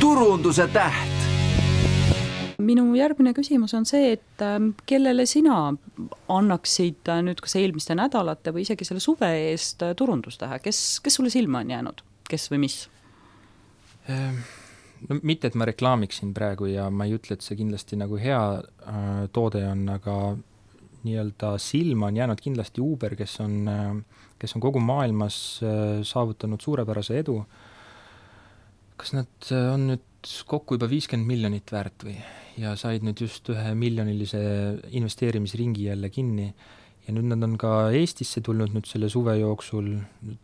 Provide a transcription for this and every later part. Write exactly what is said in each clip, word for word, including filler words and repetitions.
turunduse täht. Minu järgmine küsimus on see, et kellele sina annaksid nüüd kas eelmiste nädalate või isegi selle suve eest turundustähe? Kes, kes sulle silma on jäänud? Kes või mis? No, mitte, et ma reklaamiksin praegu ja ma ei ütle, et see kindlasti nagu hea äh, toode on, aga nii-öelda silma on jäänud kindlasti Uber, kes on, äh, kes on kogu maailmas äh, saavutanud suurepärase edu. Kas nad on nüüd kokku juba viiskümmend miljonit väärt või? Ja said nüüd just ühe miljonilise investeerimisringi jälle kinni. Ja nüüd nad on ka Eestisse tulnud nüüd selle suve jooksul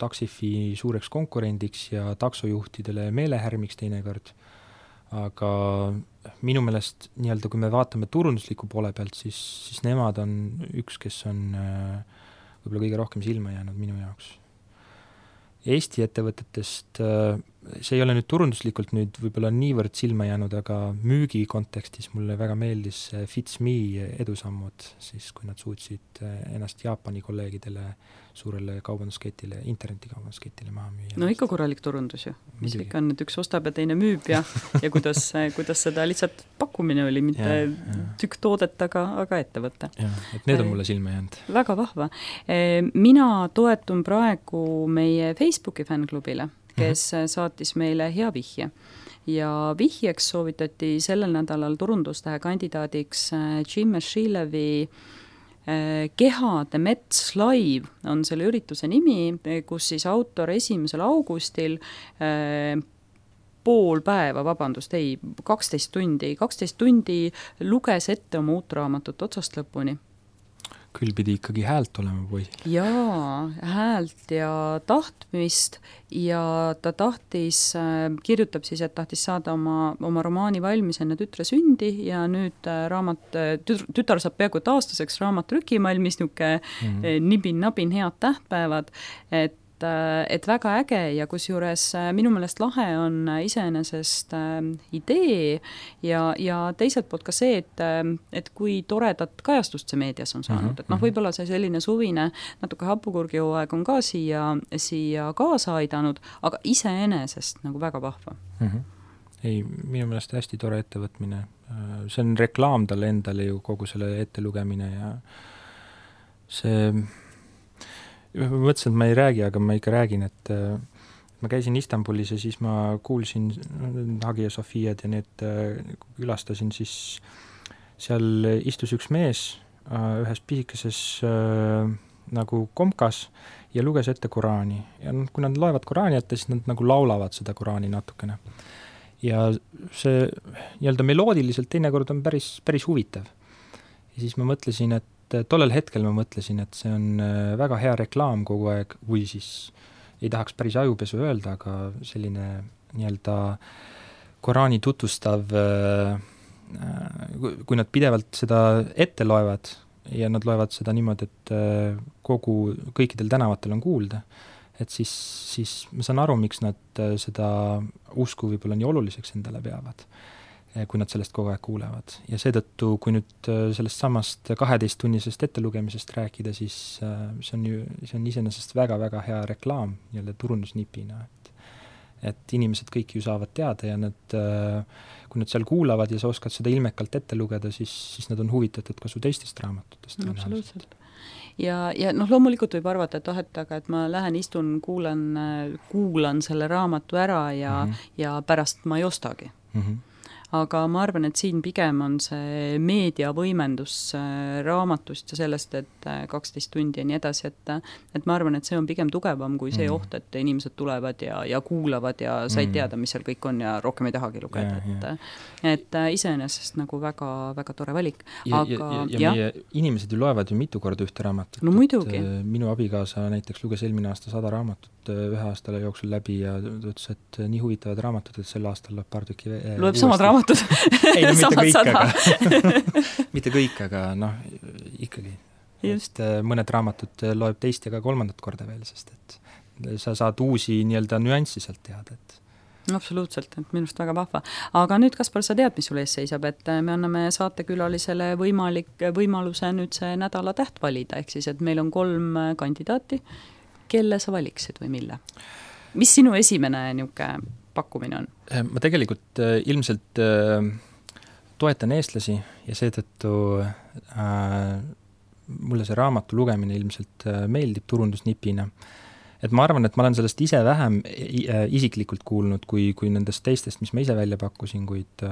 Taxifi suureks konkurendiks ja taksojuhtidele meelehärmiks teinekord. Aga minu meelest, nii-öelda, kui me vaatame turundusliku poole pealt, siis, siis nemad on üks, kes on võib-olla kõige rohkem silma jäänud minu jaoks. Eesti ettevõtetest, see ei ole nüüd turunduslikult nüüd võib-olla niivõrd silma jäänud, aga müügi kontekstis mulle väga meeldis Fitsme edusammud, siis kui nad suutsid ennast Jaapani kolleegidele suurele kaubandusketile, internetikaubandusketile maha müüa. No ikka korralik turundus ju. Mis ikka on, et üks ostab ja teine müüb ja, ja kuidas, kuidas seda lihtsalt pakkumine oli, mitte ja, ja. tükk toodet, aga, aga ettevõtte. Ja, et need on mulle silma jäänud. Väga vahva. Mina toetun praegu meie Facebooki fännklubile, kes uh-huh. saatis meile hea vihje. Ja vihjeks soovitati sellel nädalal turundustähe kandidaadiks Jim Meshilevi Kehade Mets Live on selle ürituse nimi, kus siis autor esimesel augustil äh, pool päeva, vabandust, ei, kaksteist tundi, kaksteist tundi luges ette oma uut raamatut otsast lõpuni. Küll pidi ikkagi häält olema või? Jaa, häält ja tahtmist ja ta tahtis, kirjutab siis, et tahtis saada oma, oma romaani valmis enne tütre sündi ja nüüd raamat, tütar saab peaaegu aastaseks raamat trükimalmis, niuke mm-hmm. nibin-nabin head tähtpäevad, et et väga äge ja kusjuures minu meelest lahe on iseenesest idee ja, ja teiselt poolt ka see, et, et kui toredat kajastust see meedias on saanud. Mm-hmm. Et noh, võib-olla see selline suvine natuke hapukurgijooaeg on ka siia, siia kaasa aidanud, aga iseenesest nagu väga vahva. Mm-hmm. Ei, minu meelest hästi tore ettevõtmine. See on reklaam talle endale ju kogu selle ettelugemine ja see ma mõtlesin, et ma ei räägi, aga ma ikka räägin, et ma käisin Istanbulis ja siis ma kuulsin Hagia Sofiad ja need külastasin, siis seal istus üks mees ühes pisikeses nagu komkas ja luges ette Koraani. Ja kui nad loevad Koraani ette, siis nad nagu laulavad seda Koraani natukene. Ja see nii-öelda meloodiliselt teinekord on päris, päris huvitav. Ja siis ma mõtlesin, et tollel hetkel ma mõtlesin, et see on väga hea reklaam kogu aeg, või siis ei tahaks päris ajupesu öelda, aga selline nii-öelda Koraani tutvustav, kui nad pidevalt seda ette loevad ja nad loevad seda niimoodi, et kogu, kõikidel tänavatel on kuulda, et siis, siis ma saan aru, miks nad seda usku võib-olla nii oluliseks endale peavad, kui nad sellest kogu aeg kuulevad. Ja seetõttu, kui nüüd sellest samast kaheteisttunnisest ettelugemisest rääkida, siis see on, ju, see on iseenesest väga-väga hea reklaam jälle turundusnipina. Et, et inimesed kõik ju saavad teada ja nad, kui nad seal kuulavad ja sa oskad seda ilmekalt ette lugeda, siis, siis nad on huvitatud ka su teistest raamatutest. No, absoluutselt. Ja, ja noh, loomulikult võib arvata, et oh, et, aga, et ma lähen, istun, kuulan, kuulan selle raamatu ära ja, mm-hmm. ja pärast ma ei ostagi. Mm-hmm. Aga ma arvan, et siin pigem on see meediavõimendus raamatust ja sellest, et kaksteist tundi ja nii edasi, et, et ma arvan, et see on pigem tugevam kui see mm. oht, et inimesed tulevad ja, ja kuulavad ja said teada, mis seal kõik on ja rohkem ei tahagi lugeda. Ja, et, et iseenesest nagu väga, väga tore valik. Ja, Aga, ja, ja, ja meie inimesed ju loevad ju mitu korda ühte raamatut. No muidugi. Minu abikaasa näiteks luges eelmine aasta sada raamatut ühe aastale jooksul läbi ja ütles, et nii huvitavad raamatud, et sel aastal loeb paar tükki loeb samad raamatud. Ei, no mitte kõik, aga, mitte kõik, aga noh, ikkagi. Just. Et mõned raamatud loeb teist ja ka kolmandat korda veel, sest et sa saad uusi nii-öelda nüanssi sealt teada. Et... Absoluutselt, et minust väga vahva. Aga nüüd, Kaspar, sa tead, mis sul ees seisab, et me anname saatekülalisele võimalik, võimaluse nüüd see nädala täht valida, ehk siis, et meil on kolm kandidaati, kelle sa valiksid või mille? Mis sinu esimene niuke pakkumine on? Ma tegelikult ilmselt toetan eestlasi ja seetõttu äh, mulle see raamatu lugemine ilmselt meeldib turundusnipina. Et ma arvan, et ma olen sellest ise vähem isiklikult kuulnud kui, kui nendest teistest, mis ma ise välja pakkusin, kuid,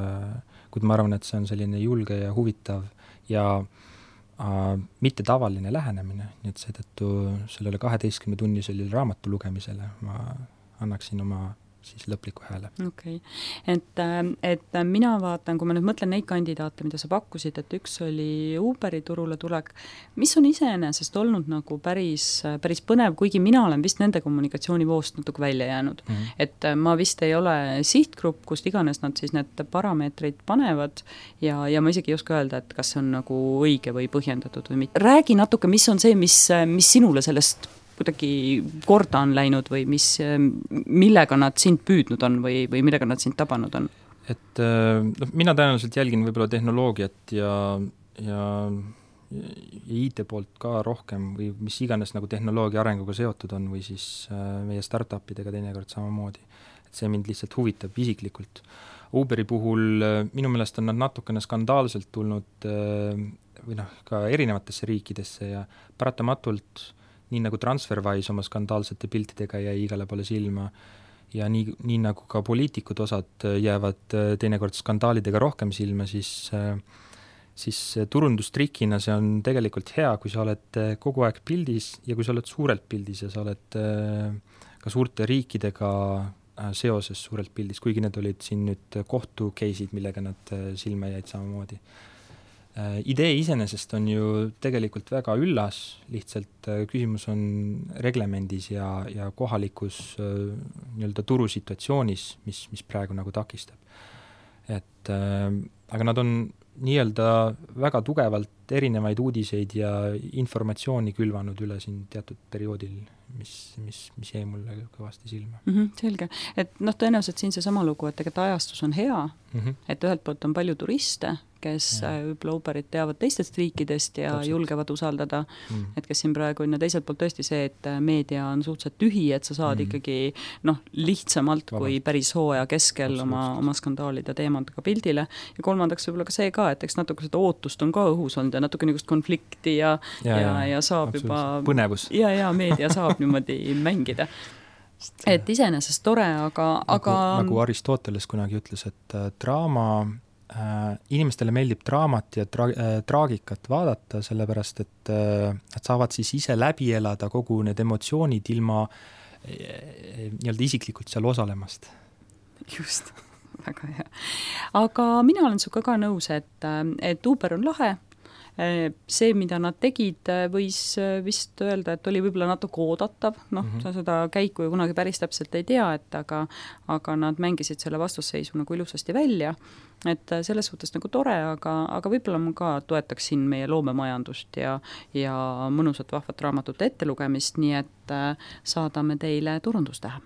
kuid ma arvan, et see on selline julge ja huvitav ja äh, mitte tavaline lähenemine, nii et seetõttu sellele kaheteistkümne tunnisele raamatu lugemisele ma annaksin oma siis lõpliku hääle. Okei. Okay. Et, et mina vaatan, kui ma nüüd mõtlen neid kandidaate, mida sa pakkusid, et üks oli Uberi turule tulek, mis on iseenesest olnud nagu päris, päris põnev, kuigi mina olen vist nende kommunikatsioonivoost natuke välja jäänud. Mm -hmm. Et ma vist ei ole sihtgrupp, kust iganes nad siis need parameetrid panevad ja, ja ma isegi ei oska öelda, et kas see on nagu õige või põhjendatud või mitte. Räägi natuke, mis on see, mis, mis sinule sellest kuidagi korda on läinud või mis, millega nad sind püüdnud on või, või millega nad sind tabanud on? Et no, mina tõenäoliselt jälgin võib-olla tehnoloogiat ja, ja, ja I T poolt ka rohkem või mis iganes nagu tehnoloogia arenguga seotud on või siis meie startupidega teinekord samamoodi. Et see mind lihtsalt huvitab isiklikult. Uberi puhul minu meelest on nad natukene skandaalselt tulnud või noh, ka erinevatesse riikidesse ja paratamatult nii nagu TransferWise oma skandaalsete piltidega jäi igale poole silma ja nii, nii nagu ka poliitikud osad jäävad teinekord skandaalidega rohkem silma, siis, siis turundustrikina see on tegelikult hea, kui sa oled kogu aeg pildis ja kui sa oled suurelt pildis ja sa oled ka suurte riikidega seoses suurelt pildis, kuigi need olid siin nüüd kohtu case'id, millega nad silma jäid samamoodi. Idee iseenesest on ju tegelikult väga üllas, lihtsalt küsimus on reglemendis ja, ja kohalikus nii-öelda turusituatsioonis, mis, mis praegu nagu takistab. Et, aga nad on nii-öelda väga tugevalt erinevaid uudiseid ja informatsiooni külvanud üle siin teatud perioodil, mis, mis, mis jäi mulle kõvasti silma. Mm -hmm, selge. Et noh, tõenäoliselt siin see sama lugu, et tegelikult ajastus on hea, mm -hmm. et ühelt poolt on palju turiste, kes ja. võib-olla Uberit teavad teistest riikidest ja Täpselt. julgevad usaldada, mm. et kes siin praegu on ja teiselt poolt tõesti see, et meedia on suhteliselt tühi, et sa saad mm. ikkagi noh, lihtsamalt Vabalt. kui päris hooaja keskel oma, oma skandaalide teemadega pildile ja kolmandaks võib-olla ka see ka, et eks natuke seda ootust on ka õhus olnud ja natuke niisugust konflikti ja, ja, ja, ja saab juba põnevus. Ja, ja meedia saab niimoodi mängida. Et iseenesest tore, aga... Nagu, aga... nagu Aristoteles kunagi ütles, et äh, draama Äh, inimestele meeldib draamat ja tra- äh, traagikat vaadata, sellepärast et äh, nad saavad siis ise läbi elada kogu need emotsioonid ilma äh, nii-öelda isiklikult seal osalemast. Just, väga hea. Aga mina olen suga ka nõus, et, et Uber on lahe. See, mida nad tegid, võis vist öelda, et oli võib-olla natuke oodatav, noh, mm -hmm. sa seda käiku ju kunagi päris täpselt ei tea, et aga, aga nad mängisid selle vastusseisu nagu ilusasti välja, et selles suhtes nagu tore, aga, aga võib-olla ma ka toetaksin meie loomemajandust ja, ja mõnusat vahvat raamatute ettelugemist, nii et saadame teile turundustähe.